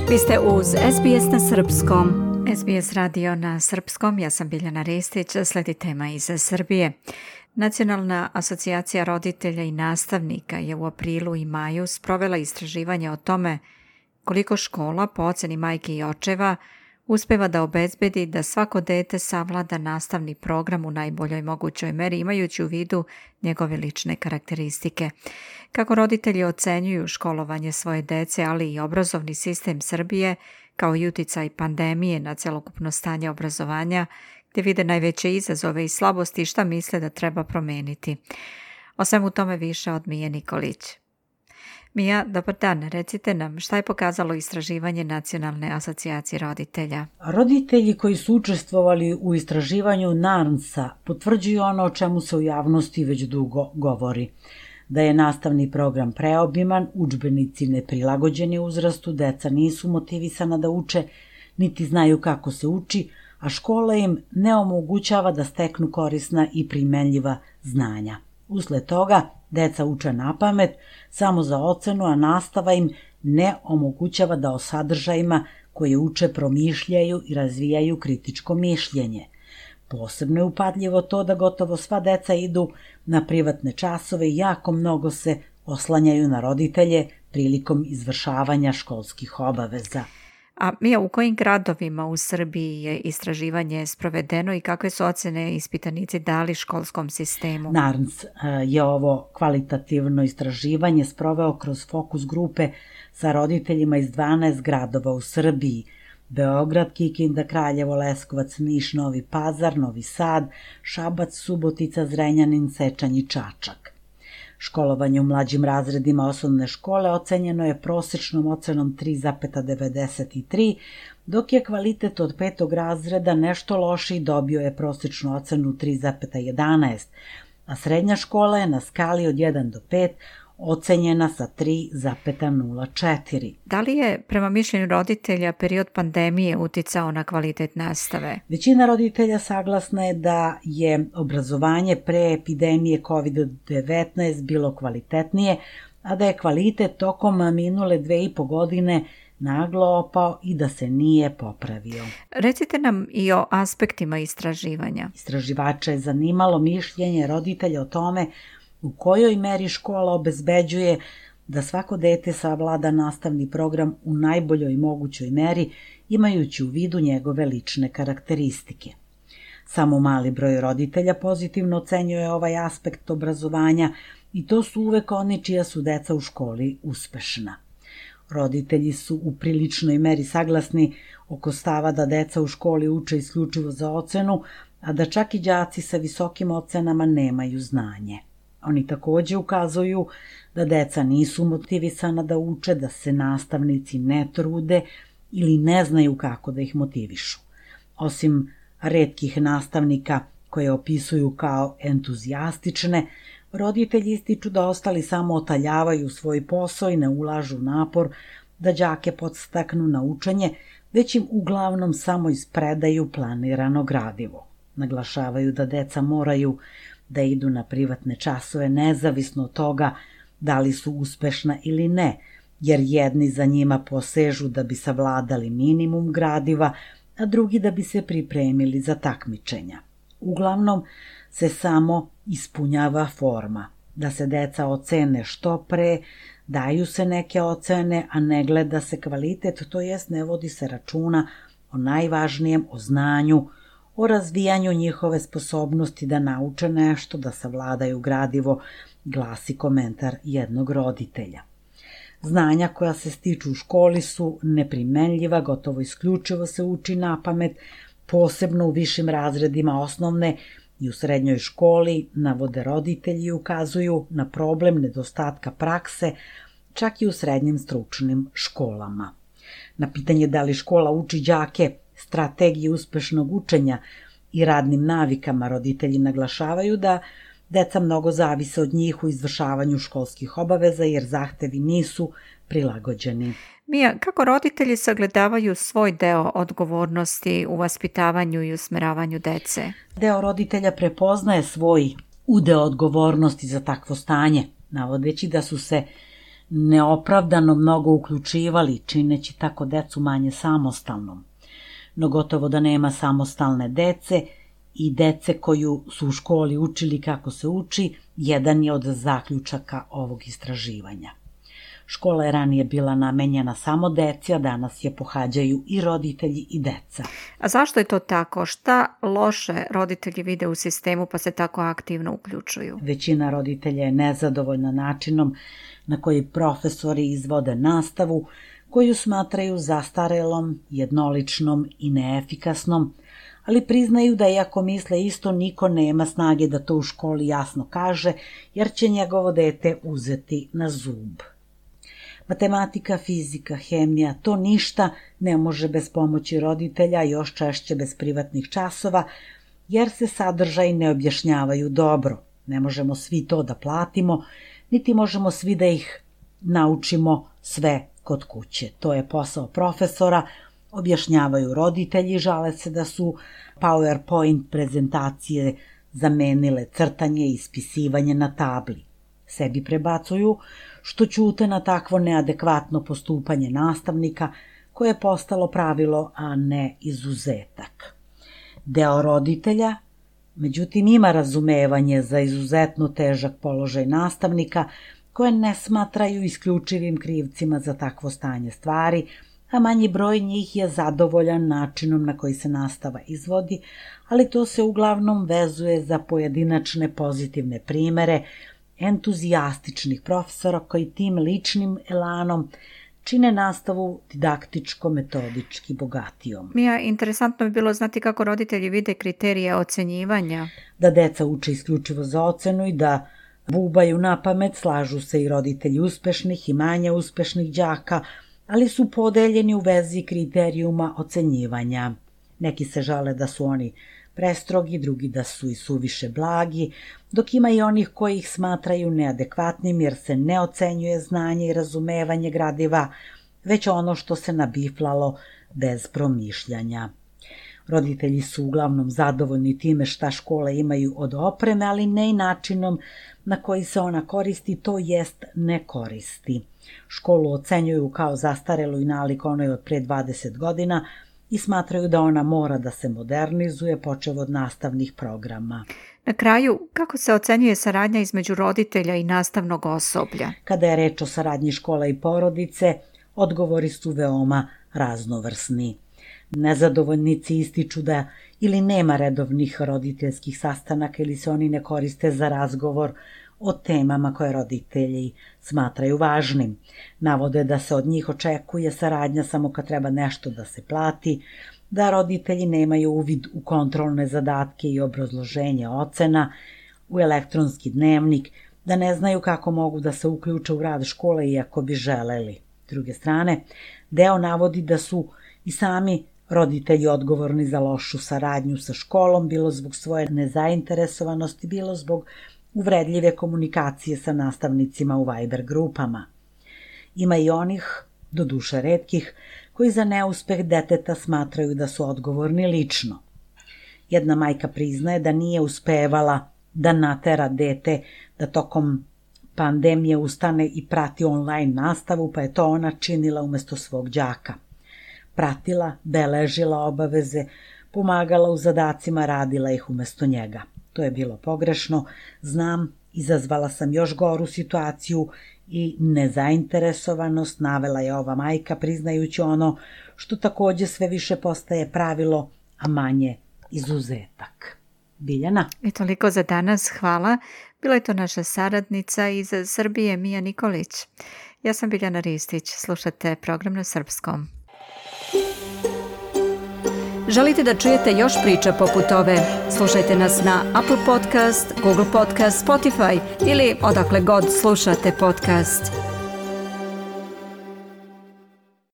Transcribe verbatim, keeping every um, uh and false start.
Vi ste uz S B S na srpskom. S B S radio na srpskom, ja sam Biljana Ristić, slijedi tema iz Srbije. Nacionalna asocijacija roditelja i nastavnika je u aprilu i maju sprovela istraživanje o tome koliko škola, po oceni majki i očeva, uspeva da obezbedi da svako dete savlada nastavni program u najboljoj mogućoj meri, imajući u vidu njegove lične karakteristike. Kako roditelji ocenjuju školovanje svoje dece, ali i obrazovni sistem Srbije, kao i uticaj pandemije na celokupno stanje obrazovanja, gdje vide najveće izazove i slabosti i šta misle da treba promeniti. O svemu tome više od Mije Nikolić. Mija, dobar dan. Recite nam šta je pokazalo istraživanje Nacionalne asocijacije roditelja. Roditelji koji su učestvovali u istraživanju NARNS-a potvrđuju ono o čemu se u javnosti već dugo govori. Da je nastavni program preobiman, udžbenici neprilagođeni uzrastu, deca nisu motivisana da uče, niti znaju kako se uči, a škola im ne omogućava da steknu korisna i primenljiva znanja. Usled toga, deca uče napamet samo za ocenu, a nastava im ne omogućava da o sadržajima koje uče promišljaju i razvijaju kritičko mišljenje. Posebno je upadljivo to da gotovo sva deca idu na privatne časove i jako mnogo se oslanjaju na roditelje prilikom izvršavanja školskih obaveza. A Mija, u kojim gradovima u Srbiji je istraživanje sprovedeno i kakve su ocene ispitanici dali školskom sistemu? NARNS je ovo kvalitativno istraživanje sproveo kroz fokus grupe sa roditeljima iz dvanaest gradova u Srbiji: Beograd, Kikinda, Kraljevo, Leskovac, Niš, Novi Pazar, Novi Sad, Šabac, Subotica, Zrenjanin, Sečanj i Čačak. Školovanje u mlađim razredima osnovne škole ocenjeno je prosečnom ocenom tri zarez devedeset tri, dok je kvalitet od petog razreda nešto lošiji, dobio je prosečnu ocenu tri zarez jedanaest, a srednja škola je na skali od jedan do pet ocenjena sa tri zarez nula četiri. Da li je, prema mišljenju roditelja, period pandemije uticao na kvalitet nastave? Većina roditelja saglasna je da je obrazovanje pre epidemije kovid devetnaest bilo kvalitetnije, a da je kvalitet tokom minule dve i po godine naglo opao i da se nije popravio. Recite nam i o aspektima istraživanja. Istraživača je zanimalo mišljenje roditelja o tome u kojoj meri škola obezbeđuje da svako dete savlada nastavni program u najboljoj mogućoj meri, imajući u vidu njegove lične karakteristike. Samo mali broj roditelja pozitivno ocenjuje ovaj aspekt obrazovanja i to su uvek oni čija su deca u školi uspešna. Roditelji su u priličnoj meri saglasni oko stava da deca u školi uče isključivo za ocenu, a da čak i đaci sa visokim ocenama nemaju znanje. Oni takođe ukazuju da deca nisu motivisana da uče, da se nastavnici ne trude ili ne znaju kako da ih motivišu. Osim retkih nastavnika koje opisuju kao entuzijastične, roditelji ističu da ostali samo otaljavaju svoj posao i ne ulažu napor da đake podstaknu na učenje, već im uglavnom samo ispredaju planirano gradivo. Naglašavaju da deca moraju da idu na privatne časove nezavisno od toga da li su uspešna ili ne, jer jedni za njima posežu da bi savladali minimum gradiva, a drugi da bi se pripremili za takmičenja. Uglavnom se samo ispunjava forma, da se deca ocene što pre, daju se neke ocene, a ne gleda se kvalitet, to jest ne vodi se računa o najvažnijem, o znanju, o razvijanju njihove sposobnosti da nauče nešto, da savladaju gradivo, glasi komentar jednog roditelja. Znanja koja se stiču u školi su neprimenljiva, gotovo isključivo se uči napamet, posebno u višim razredima osnovne i u srednjoj školi, navode roditelji i ukazuju na problem nedostatka prakse, čak i u srednjim stručnim školama. Na pitanje da li škola uči đake strategije uspešnog učenja i radnim navikama, roditelji naglašavaju da deca mnogo zavise od njih u izvršavanju školskih obaveza jer zahtevi nisu prilagođeni. Mija, kako roditelji sagledavaju svoj deo odgovornosti u vaspitavanju i usmeravanju dece? Deo roditelja prepoznaje svoj udeo odgovornosti za takvo stanje, navodeći da su se neopravdano mnogo uključivali, čineći tako decu manje samostalnom. No gotovo da nema samostalne dece i dece koju su u školi učili kako se uči, jedan je od zaključaka ovog istraživanja. Škola je ranije bila namenjena samo deci, a danas je pohađaju i roditelji i deca. A zašto je to tako? Šta loše roditelji vide u sistemu pa se tako aktivno uključuju? Većina roditelja je nezadovoljna načinom na koji profesori izvode nastavu, koju smatraju zastarelom, jednoličnom i neefikasnom, ali priznaju da iako misle isto, niko nema snage da to u školi jasno kaže, jer će njegovo dete uzeti na zub. Matematika, fizika, hemija, to ništa ne može bez pomoći roditelja, još češće bez privatnih časova, jer se sadržaji ne objašnjavaju dobro. Ne možemo svi to da platimo, niti možemo svi da ih naučimo sve kod kuće. To je posao profesora, objašnjavaju roditelji, žale se da su PowerPoint prezentacije zamenile crtanje i ispisivanje na tabli. Sebi prebacuju što ćute na takvo neadekvatno postupanje nastavnika koje je postalo pravilo, a ne izuzetak. Deo roditelja, međutim, ima razumevanje za izuzetno težak položaj nastavnika koje ne smatraju isključivim krivcima za takvo stanje stvari, a manji broj njih je zadovoljan načinom na koji se nastava izvodi, ali to se uglavnom vezuje za pojedinačne pozitivne primere entuzijastičnih profesora koji tim ličnim elanom čine nastavu didaktičko-metodički bogatijom. Mija, interesantno bi bilo znati kako roditelji vide kriterije ocenjivanja. Da deca uče isključivo za ocenu i da bubaju na pamet, slažu se i roditelji uspešnih i manje uspešnih đaka, ali su podeljeni u vezi kriterijuma ocenjivanja. Neki se žale da su oni prestrogi, drugi da su i suviše blagi, dok ima i onih koji ih smatraju neadekvatnim jer se ne ocenjuje znanje i razumevanje gradiva, već ono što se nabiflalo bez promišljanja. Roditelji su uglavnom zadovoljni time šta škole imaju od opreme, ali ne i načinom na koji se ona koristi, to jest ne koristi. Školu ocenjuju kao zastarelu i nalik onoj od pre dvadeset godina i smatraju da ona mora da se modernizuje, počev od nastavnih programa. Na kraju, kako se ocenjuje saradnja između roditelja i nastavnog osoblja? Kada je reč o saradnji škola i porodice, odgovori su veoma raznovrsni. Nezadovoljnici ističu da ili nema redovnih roditeljskih sastanaka ili se oni ne koriste za razgovor o temama koje roditelji smatraju važnim. Navode da se od njih očekuje saradnja samo kad treba nešto da se plati, da roditelji nemaju uvid u kontrolne zadatke i obrazloženje ocena, u elektronski dnevnik, da ne znaju kako mogu da se uključe u rad škole iako bi želeli. S druge strane, deo navodi da su i sami roditelji odgovorni za lošu saradnju sa školom, bilo zbog svoje nezainteresovanosti, bilo zbog uvredljive komunikacije sa nastavnicima u Viber grupama. Ima i onih, doduše retkih, koji za neuspeh deteta smatraju da su odgovorni lično. Jedna majka priznaje da nije uspevala da natera dete da tokom pandemije ustane i prati online nastavu, pa je to ona činila umesto svog đaka. Pratila, beležila obaveze, pomagala u zadacima, radila ih umesto njega. To je bilo pogrešno, znam, izazvala sam još goru situaciju i nezainteresovanost, navela je ova majka, priznajući ono što takođe sve više postaje pravilo, a manje izuzetak. Biljana? I toliko za danas, hvala. Bila je to naša saradnica iz Srbije, Mija Nikolić. Ja sam Biljana Ristić, slušate program na srpskom. Želite da čujete još priča poput ove? Slušajte nas na Apple Podcast, Google Podcast, Spotify ili odakle god slušate podcast.